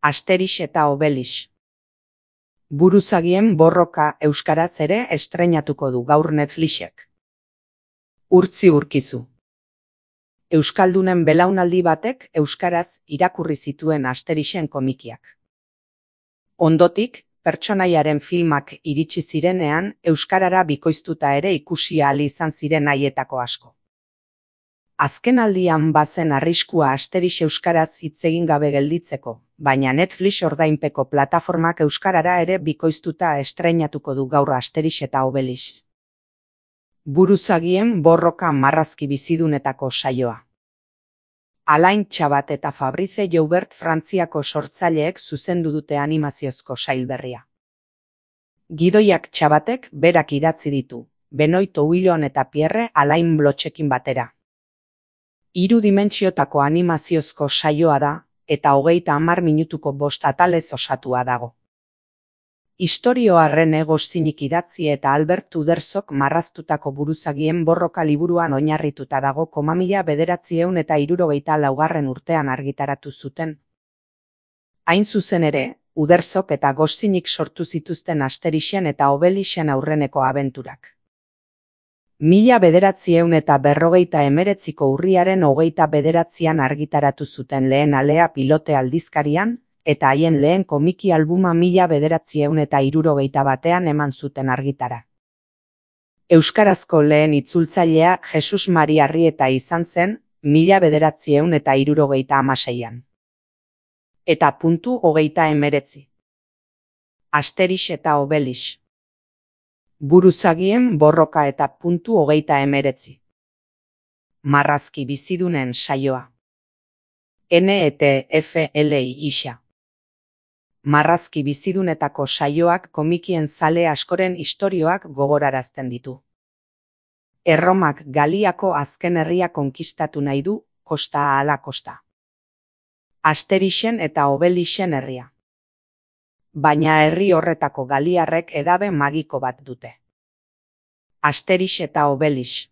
Asterix eta Obelix. Buruzagien borroka euskaraz ere estreinatuko du gaur Netflixek. Urtzi urkizu. Euskaldunen belaunaldi batek euskaraz irakurri zituen Asterixen komikiak. Ondotik, pertsonaiaren filmak iritsi zirenean euskarara bikoiztuta ere ikusi ahal izan ziren haietako asko. Azkenaldian bazen arriskua Asterix euskaraz hitz egin gabe gelditzeko, baina Netflix ordainpeko plataformak euskarara ere bikoiztuta estreinatuko du gaur Asterix eta Obelix. Buruzagien borroka marrazki bizidunetako saioa. Alain Txabat eta Fabrice Joubert Frantziako sortzaileek zuzendu dute animaziozko sail berria. Gidoiak Txabatek berak idatzi ditu, Benoit Ouillon eta Pierre Alain Blochekin batera. 3 dimentsiotako animaziozko saioa da, eta 30 minutuko 5 atalez osatua dago. Istorioa Rene Goscinnyk idatzi eta Albert Uderzok marraztutako buruzagien borroka liburuan oinarrituta dago 1964 urtean argitaratu zuten. Hain zuzen ere, Uderzok eta Goscinnyk sortu zituzten Asterixen eta Obelixen aurreneko abenturak. 1949ko urriaren 29an argitaratu zuten lehen alea Pilote aldizkarian, eta haien lehen komiki albuma 1961an eman zuten argitara. Euskarazko lehen itzultzailea Jesus Mari Arrieta izan zen, 1976an. Eta .39. Asterix eta Obelix. Buruzagien borroka eta .39. Marrazki bizidunen saioa. NETFLI isa. Marrazki bizidunetako saioak komikien zale askoren istorioak gogorarazten ditu. Erromak Galiako azken herria konkistatu nahi du, kosta ahala kosta. Asterixen eta Obelixen herria. Baina herri horretako galiarrek edabe magiko bat dute. Asterix eta Obelix.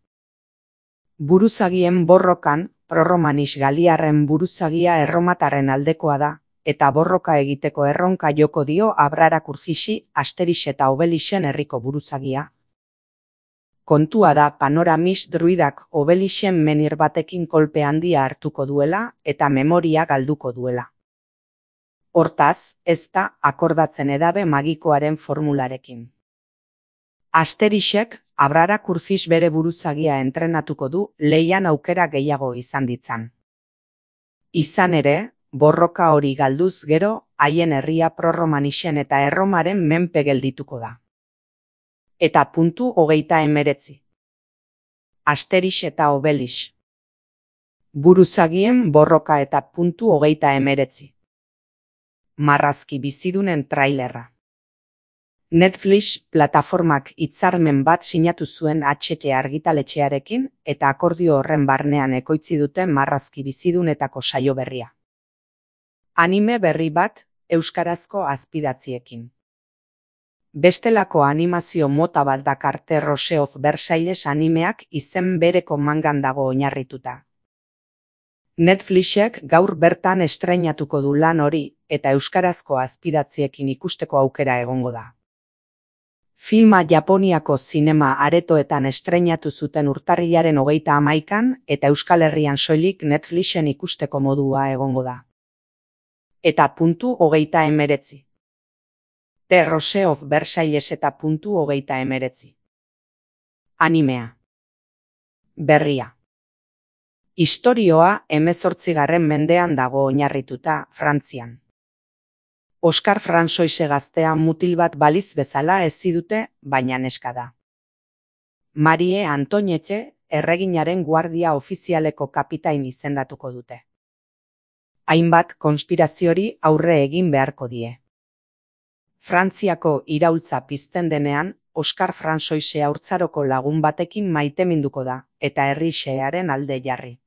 Buruzagien borrokan, prorromanis galiarren buruzagia erromatarren aldekoa da, eta borroka egiteko erronka joko dio Abrarak Urxixi Asterix eta Obelixen herriko buruzagia. Kontua da Panoramis druidak Obelixen menhir batekin kolpe handia hartuko duela eta memoria galduko duela. Hortaz, ez da akordatzen edabe magikoaren formularekin. Asterixek Abrarak Urxix bere buruzagia entrenatuko du leian aukera gehiago izan ditzan. Izan ere, borroka hori galduz gero, haien herria prorromanixen eta erromaren menpe geldituko da. Eta .39. Asterix eta Obelix. Buruzagien borroka eta .39. Marrazki bizidunen trailerra. Netflix plataformak hitzarmen bat sinatu zuen HT argitaletxearekin eta akordio horren barnean ekoitzi dute marrazki bizidunetako saio berria. Anime berri bat euskarazko azpidatziekin. Bestelako animazio mota bat dakar The Rose of Versailles animeak izen bereko mangan dago oinarrituta. Netflixek gaur bertan estreinatuko du lan hori eta euskarazko azpidatziekin ikusteko aukera egongo da. Filma Japoniako zinema aretoetan estreinatu zuten urtarrilaren 31an eta Euskal Herrian soilik Netflixen ikusteko modua egongo da. Eta .39. The Rose of Versailles eta .39. Animea. Berria. Istorioa 18. mendean dago oinarrituta Frantzian. Oskar Fransoise gaztea mutil bat baliz bezala hezi dute, baina neska da. Marie Antoinette erreginaren guardia ofizialeko kapitain izendatuko dute. Hainbat konspiraziori aurre egin beharko die. Frantziako iraultza pizten denean, Oskar Fransoise haurtzaroko lagun batekin maiteminduko da, eta herri xehearen alde jarri.